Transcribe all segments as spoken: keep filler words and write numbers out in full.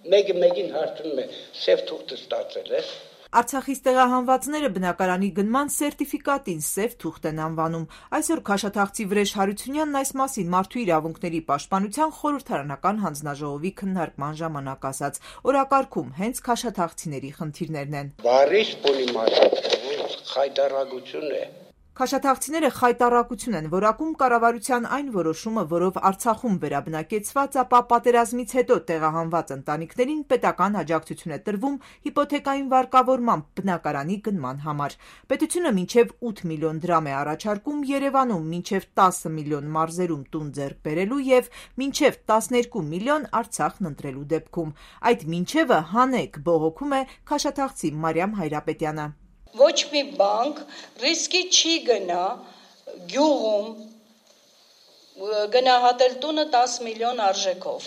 Մեկը մեկին հարցնում է, սև թուղթը ստացել ես։ Արցախից տեղահանվածները բնակարանի գնման սերտիֆիկատին սև թուղթ են անվանում։ Այսօր քաշաթաղցի Վրեժ Հարությունյանն այս մասին Մարդու իրավունքների պաշտպանության խորհրդարանական հանձնաժողովի քննարկման ժամանակ ասաց. օրակարգում հենց քաշաթաղցիների խնդիրներն են։ Բարիս պոլիմար խայտարակություն է։ Քաշաթաղցիները խայտառակություն են որակում կառավարության այն որոշումը, որով Արցախում վերաբնակեցված, ապա պատերազմից հետո տեղահանված ընտանիքներին պետական աջակցություն է տրվում հիպոթեկային վարկավորմամբ բնակարանի գնման համար։ Պետությունը մինչև ութ միլիոն դրամ է առաջարկում Երևանում, մինչև տասը միլիոն մարզերում տուն ձեռք բերելու և մինչև տասներկու միլիոն Արցախն ընտրելու դեպքում։ Այդ մինչևը հանեք բողոքում է քաշաթաղցի Մարիամ Հայրապետյանը։ Ոչ մի բանկ ռիսկի չի գնա գյուղում գնահատել տունը տասը միլիոն արժեքով։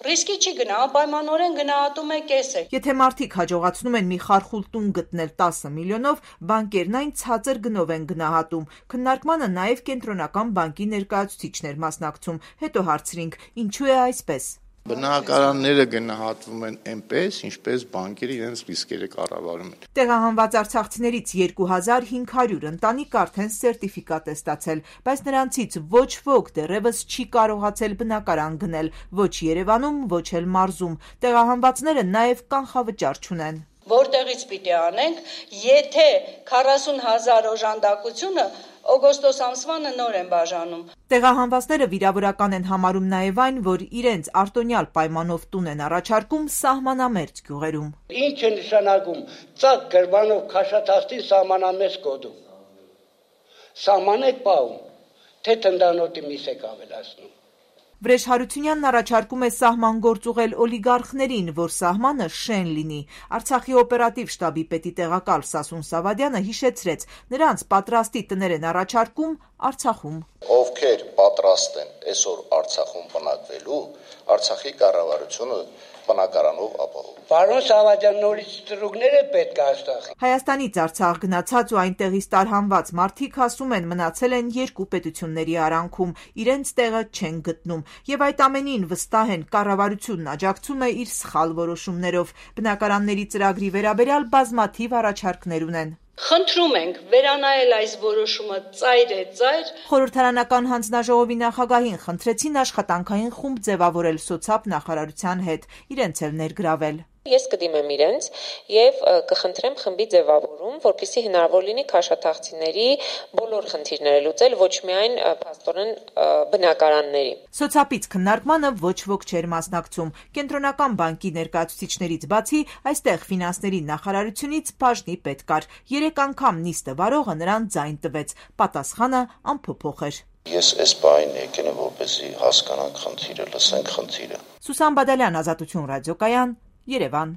Ռիսկի չի գնա, անպայմանորեն գնահատում է կեսը։ Եթե մարդիկ հաջողացնում են մի խարխուլ տուն գտնել տասը միլիոնով, բանկերն այն ցածր գնով են գնահատում։ Քննարկմանը նաև Կենտրոնական բանկի ներկայացուցիչներ մասնակցում։ Հետո հարցրինք՝ ինչու է այսպես։ Բնակարանները գնահատվում են այնպես, ինչպես բանկերը իրենց ռիսկերը կառավարում են։ Տեղահանված արցախցիներից երկու հազար հինգ հարյուր ընտանիք արդեն սերտիֆիկատ է ստացել, բայց նրանցից ոչ ոք դեռևս չի կարողացել բնակարան գնել ոչ Երևանում, ոչ էլ մարզում։ Տեղահանվածները նաև կանխավճար չունեն։ Որտեղից պիտի անենք, եթե քառասուն հազար օժանդակությունը օգոստոս ամսվանը նոր են բաժանում։ Տեղահանվածները վիրավորական են համարում նաև այն, որ իրենց արտոնյալ պայմանով տուն են առաջարկում սահմանամերձ գյուղերում։ Ինչ է նշանակում ծակ գրվանով քաշաթաղցին սահմանամերձ գոտում։ Սահման եք պահում, թե թնդանոթի միս եք ավելացնում։ Վրեժ Հարությունյանն առաջարկում է սահման գործ ուղղել օլիգարխներին, որ սահմանը շեն լինի։ Արցախի օպերատիվ շտաբի պետի տեղակալ Սասուն Սավադյանը հիշեցրեց, նրանց պատրաստի տներ են առաջարկում Արցախում։ Ովքեր պատրաստ են այսօր Արցախում բնակվելու, Արցախի կառավարությունը բնակարանով ապահովում։ Պարոն Սավադյան, նորից ծրուգներ է պետք Արցախի։ Հայաստանից Արցախ գնացած ու այնտեղից տարհանված մարդիկ ասում են մնացել են երկու պետությունների արանքում, իրենց տեղը չեն գտնում, եւ այդ ամենին վստահ են կառավարությունն աջակցում է իր սխալ որոշումներով։ Բնակարանների ծրագրի վերաբերյալ բազմաթիվ առաջարկներ ունեն։ Խնդրում ենք վերանայել այս որոշումը ծայր է ծայր։ Խորհրդարանական հանձնաժողովի նախագահին խնդրեցին աշխատանքային խումբ ձևավորել սոցապ նախարարության հետ, իրենց էլ ներգրավել։ Ես կդիմեմ իրենց եւ կխնդրեմ խմբի ձևավորում, որպեսզի հնարավոր լինի քաշաթաղցիների բոլոր խնդիրները լուծել, ոչ միայն փաստորեն բնակարանների։ Սոցապից քննարկմանը ոչ ոք չէր մասնակցում։ Կենտրոնական բանկի ներկայացուցիչներից բացի այստեղ ֆինանսների նախարարությունից բաժնի պետ կար։ Երեք անգամ նիստը վարողը նրան ձայն տվեց։ Պատասխանը անփոփոխ էր։ Ես այս բանին եկել եմ, որպեսզի հասկանանք խնդիրը, լսենք խնդիրը։ Սուսան Բադալյան, Ազատություն ռադիոկայան, Երևան։